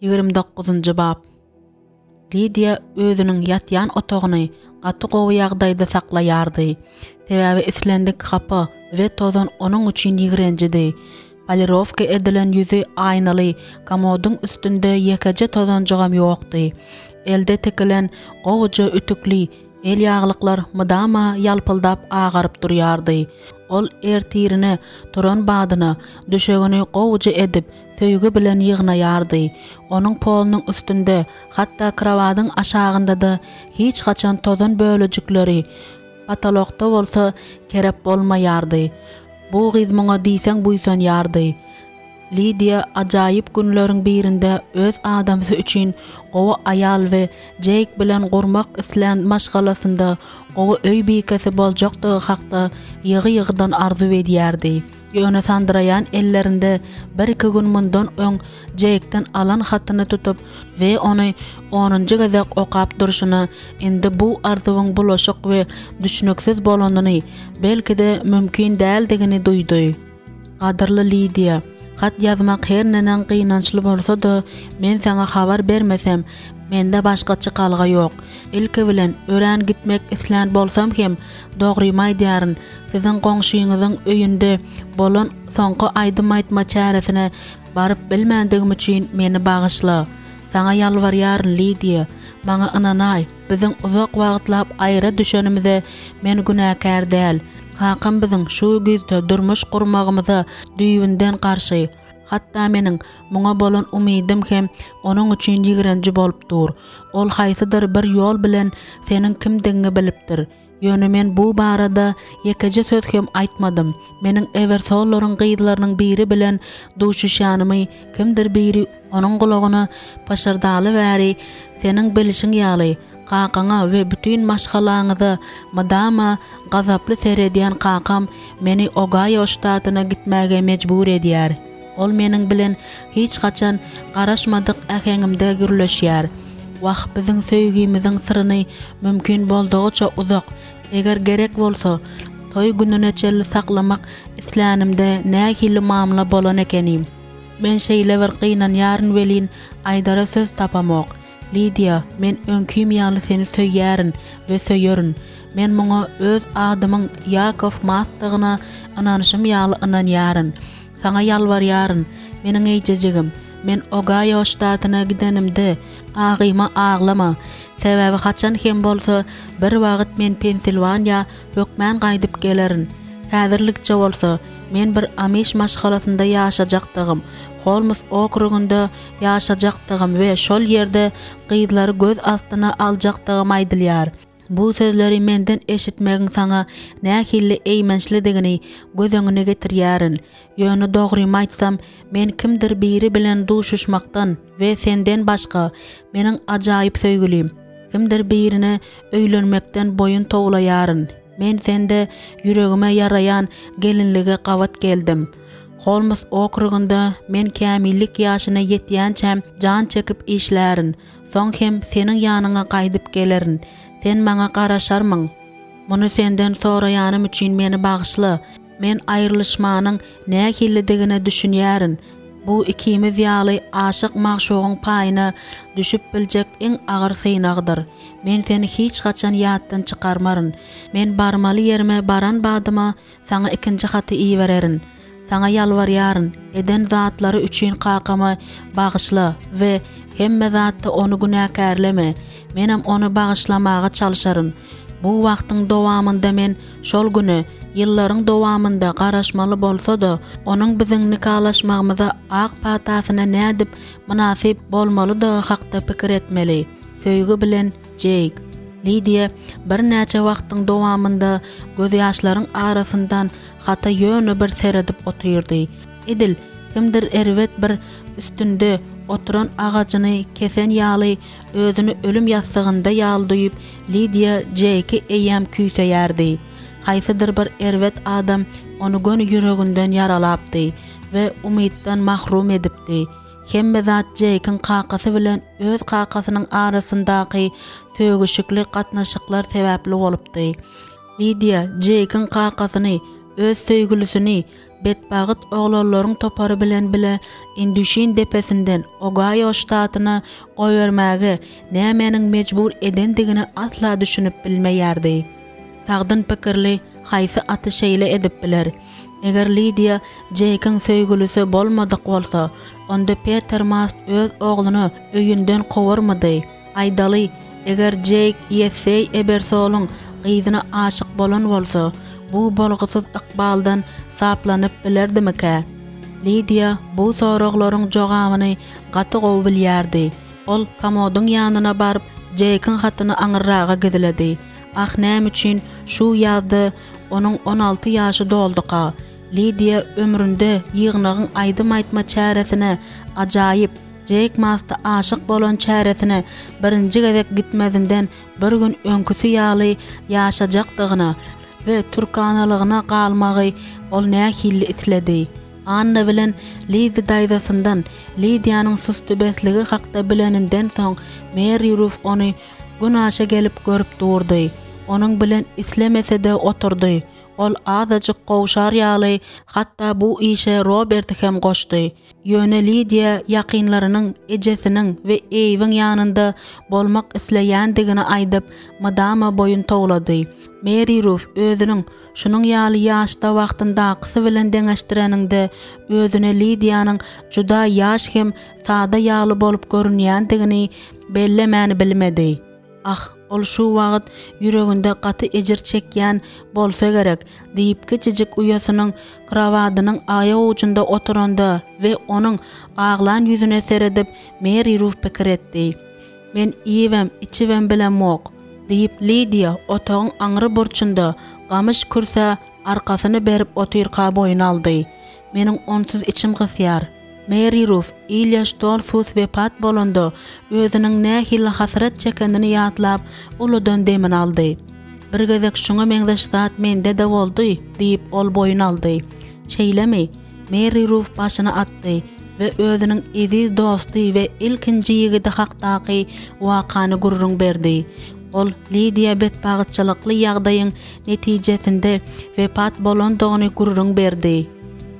29-njy bap. Lidiýa özüniň ýatýan otagyny gaty gowy ýagdaýda saklaýardy. Sebäbi islendik hapa we tozan onuň üçin ýigrenjidi. Polirowka edilen ýüzi aýnaly komodyň üstünde ýekeje tozanjygam ýokdy. Elde tikilen gowuja ütükli el ýaglyklar mydama ýalpyldap agaryp durýardy. Ol ertirine turan badyna düşegini gowuja edip, söýgi bilen ýygnaýardy. Onuň polunyň üstünde, hatda krowadyň aşagynda-da hiç haçan tozan bölejikleri, potolokda bolsa kerep bolmaýardy. Bu gyz muňa diýseň buýsanýardy. Lidiýa ajaýyp günleriň birinde öz adamsy üçin gowy aýal we Jeýk bilen gurmak islän maşgalasynda gowy öý bikesi boljakdygy hakda ýygy-ýygydan arzuw edýärdi. Ýöne sandyraýan ellerinde bir-iki gün mundan öň Jeýkden alan hatyny tutup we ony onunjy gezek okap durşuna indi bu arzuwyň bulaşyk we düşnüksiz bolanyny, belki-de mümkin däldigini duýdy. Gadyrly Lidiýa, hat ýazmak her neneň gynançly bolsa-da, men saňa habar bermesem, mende başga çykalga ýok. Ilki bilen, örän gitmek islän bolsam hem, dogrymy aýdýaryn, siziň goňşyňyzyň öýünde bolan soňky aýdym aýtma çäresine baryp bilmändigim üçin meni bagyşla. Saňa ýalbarýaryn, Lidiýa, maňa ynanaý, biziň uzak wagtlap aýra düşenimize men günäkär däl. Kakam biziň şu güýzde durmuş gurmagymyza düýbünden garşy. Hatda meniň muňa bolan umydym hem onuň üçin ýigrenji bolup dur. Ol haýsydyr bir ýol bilen seniň kimdigiňi bilipdir. Ýöne men bu barada ýekeje söz hem aýtmadym. Meniň Ewersollaryň gyzlarynyň biri bilen duşuşýanymy kimdir biri onuň gulagyna pyşyrdaly bäri, seniň bilşiň ýaly, kakaňa we bütin maşgalaňyza mydama gazaply seredýän kakam meni Ogaýo ştatyna gitmäge mejbur edýär. Ol meniň bilen hiç haçan garaşmadyk äheňimde gürleşýär. Wah, biziň söýgimiziň syryny mümkin boldugyça uzak, eger gerek bolsa, toý gününe çenli saklamak islänimde nähili mamla bolan ekenim. Men şeýle bir gynanýaryn welin, aýdara söz tapamok. Lidiýa, men öňkim ýaly seni söýýärin we söýerin. Men muňa öz adymyň Ýakow Masdygyna ynanyşym ýaly ynanýaryn. Saňa ýalbarýaryn, meniň eýjejigim, men Ogaýo ştatyna gidenimde, agyma aglama. Sebäbi haçan hem bolsa bir wagt men Pensilwaniýa hökmän gaýdyp gelerin. Häzirlikçe bolsa, men bir amiş maşgalasynda ýaşajakdygym, Holmes okrugynda ýaşajakdygym we şol ýerde gyzlary göz astyna aljakdygym aýdylýar. Bu sözleri menden eşitmegiň saňa nähili eýmençlidigini göz öňüne getirýärin. Ýöne dogrymy aýtsam, men kimdir biri bilen duşuşmakdan we senden başga, meniň ajaýyp söýgülim, kimdir birine öýlenmekden boýun towlaýaryn. Men sende ýüregime ýaraýan gelinlige gabat geldim. Holmes okrugynda men kämillik ýaşyna ýetýänçäm jan çekip işlärin. Soň hem seniň ýanyňa gaýdyp gelerin. Sen maňa garaşarmyň? Muny senden soraýanym üçin meni bagyşla. Men aýrylyşmanyň nähilidigine düşünýärin. Bu ikimiz ýaly aşyk-magşugyň paýyna düşüp biljek iň agyr synagdyr. Men seni hiç haçan ýatdan çykarmaryn. Men barmaly ýerime baran badyma Saňa ikinji haty ibererin. Saňa ýalbarýaryn, eden zatlary üçin kakamy bagyşla we hemme zatda ony günäkärleme. Menem ony bagyşlamaga çalşaryn. Bu wagtyň dowamynda men şol güne ýyllaryň dowamynda garaşmaly bolsa-da, onuň biziň nikalaşmagymyza ak patasyna nädip mynasyp bolmalydygy hakda pikir etmeli. Söýgi bilen, Jeýk. Lidiýa birnäçe wagtyň dowamynda gözýaşlaryň arasyndan hata ýöne bir seredip otyrdy. Edil, kimdir erbet bir üstünde oturan agajyny kesen ýaly özüni ölüm ýassygynda ýaly duýup, Lidiýa Jeýki eýýäm küýseýärdi. Haýsydyr bir erbet adam ony göni ýüreginden ýaralapdy we umytdan mahrum edipdi. Hemme zat Jeýkiň kakasy bilen öz kakasynyň arasyndaky sögüşikli gatnaşyklar sebäpli bolupdy. Lidiýa Jeýkiň kakasyny, öz söýgülisini. betbagt oglanlaryň topary bilen bile Indüşin depesinden Ogaýo ştatyna goýbermäge nämäniň mejbur edendigine asla düşünip bilmeýärdi. Sagdyn pikirli haýsy aty şeýle edip biler? Eger Lidiýa Jeýkiň söýgülisi bolmadyk bolsa, onda Peter Mast öz ogluny öýünden kowarmydy? Aýdaly, eger Jeýk Ýesseý Ebersolyň gyzyna aşyk bolan bolsa, bu bolgusyz ykbaldan saplanyp bilerdimikä? Lidiýa bu soraglaryň jogabyny gaty gowy bilýärdi. Ol komodyň ýanyna baryp, Jeýkiň hatyny aňyrraga gizledi. Ah, näme üçin şu ýazda onuň 16 ýaşy dolduka? Lidiýa ömründe ýygnagyň aýdym aýtma çäresine ajaýyp Jeýk Masta aşyk bolan çäresine birinji gezek gitmezinden bir gün öňküsi ýaly ýaşajakdygyna we türkanalygyna galmagy ol nähili isledi. Anna bilen Lizzi daýzasyndan Lidiýanyň sustubesligi hakda bileninden soň Meri Ruf ony günaşa gelip görüp durdy. Onuň bilen islemese-de oturdy. Ol azajyk gowşar ýaly, hatda bu işe Roberti hem goşdy. Ýöne Lidiýa ýakynlarynyň, ejesiniň we Eýwiň ýanynda bolmak isleýändigini aýdyp, mydama boýun towlady. Meri Ruf özüniň şunuň ýaly ýaşda wagtyndakysy bilen deňeşdireniňde özüne Lidiýanyň juda ýaş hem sada ýaly bolup görünýändigini bellemäni bilmedi. Ah, ol şu wagt ýüreginde gaty ejir çekýän bolsa gerek, diýip, kiçijik uýasynyň krowadynyň aýagujunda oturanda we onuň aglan ýüzüne seredip, Meri Ruf pikir etdi. Men iýibem, içibem bilemok, diýip, Lidiýa otagyň aňry burçunda gamyş kürsä arkasyny berip otyrka boýun aldy. Meniň onsuz içim gysýar. Meri Ruf, Ilýa Ştolfus wepat bolanda, özüniň nähili hasrat çekenini ýatlap, uludan demini aldy. Bir gezek şuňa meňzeş zat mende-de boldy, diýip, ol boýun aldy. Şeýlemi? Meri Ruf başyny atdy we özüniň eziz dosty we ilkinji ýigidi hakdaky wakany gürrüň berdi. Ol Lidiýa betbagtçylykly ýagdaýyň netijesinde wepat bolandygyny gürrüň berdi.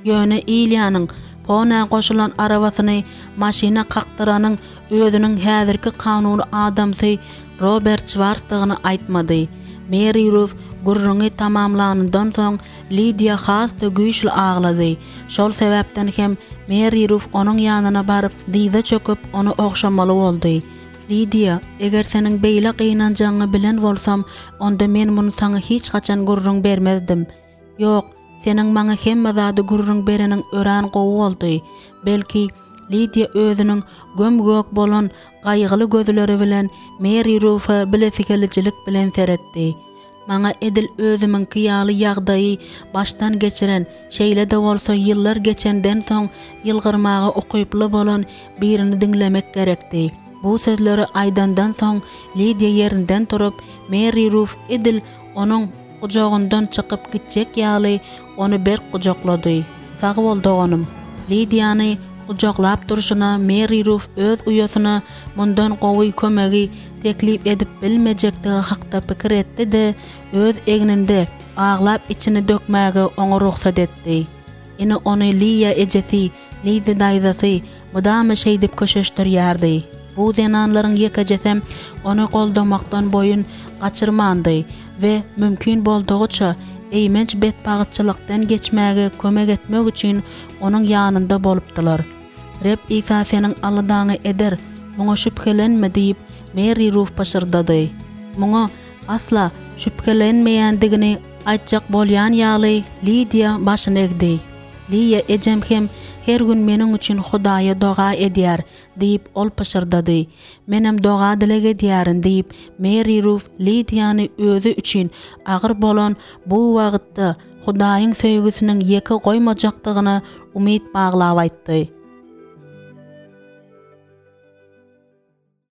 Ýöne Ilýanyň Ponä goşulan arabasyny maşyna kakdyranyň özüniň häzirki kanuny adamsy Robert Şwarsdygyny aýtmady. Meri Ruf gürrüňi tamamlanyndan soň Lidiýa has-da güýçli aglady. Şol sebäpden hem Meri Ruf onuň ýanyna baryp, dyza çöküp, ony ogşamaly boldy. Lidiýa, eger seniň beýle gynanjagyňy bilen bolsam, onda men muny saňa hiç haçan gürrüň bermezdim. Ýok, seniň maňa hemme zady gürrüň bereniň örän gowy boldy. Belki, Lidiýa özüniň göm-gök bolan gaýgyly gözleri bilen Meri Rufa bilesigelijilik bilen seretdi. Maňa edil özümiňki ýaly ýagdaýy başdan geçiren, şeýle-de bolsa ýyllar geçenden soň ýylgyrmaga ukyply bolan birini diňlemek gerekdi. Bu sözleri aýdandan soň Lidiýa ýerinden turup, Meri Ruf edil onuň gujagyndan çykyp gitjek ýaly ony berk gujaklady. Sag bol, doganym. Lidiýany gujaklap durşuna Meri Ruf öz uýasyna mundan gowy kömegi teklip edip bilmejekdigi hakda pikir etdi-de, öz egninde aglap içini dökmäge oňa rugsat etdi. Ine ony Liýa ejesi, Lizzi daýzasy mydama şeýdip köşeşdirýärdi. Bu zenanlaryň ýekejesem ony goldamakdan boýun gaçyrmandy we mümkin boldugyça eýmenç betbagytçylykdan geçmäge kömek etmek üçin onuň ýanynda bolupdylar. Reb Isa seniň aladaňy eder, muňa şübhelenme diýip, Meri Ruf pyşyrdady. Muňa asla şübhelenmeýändigini aýtjak bolýan ýaly, Lidiýa başyny egdi. Liýa ejem hem her gün meniň üçin Hudaýa doga edýär, diýip, ol pyşyrdady. Menem doga-dileg edýärin, diýip, Meri Ruf Lidiýany özi üçin agyr bolan bu wagtda Hudaýyň söýgüsiniň ýeke goýmajakdygyna umyt baglap aýtdy.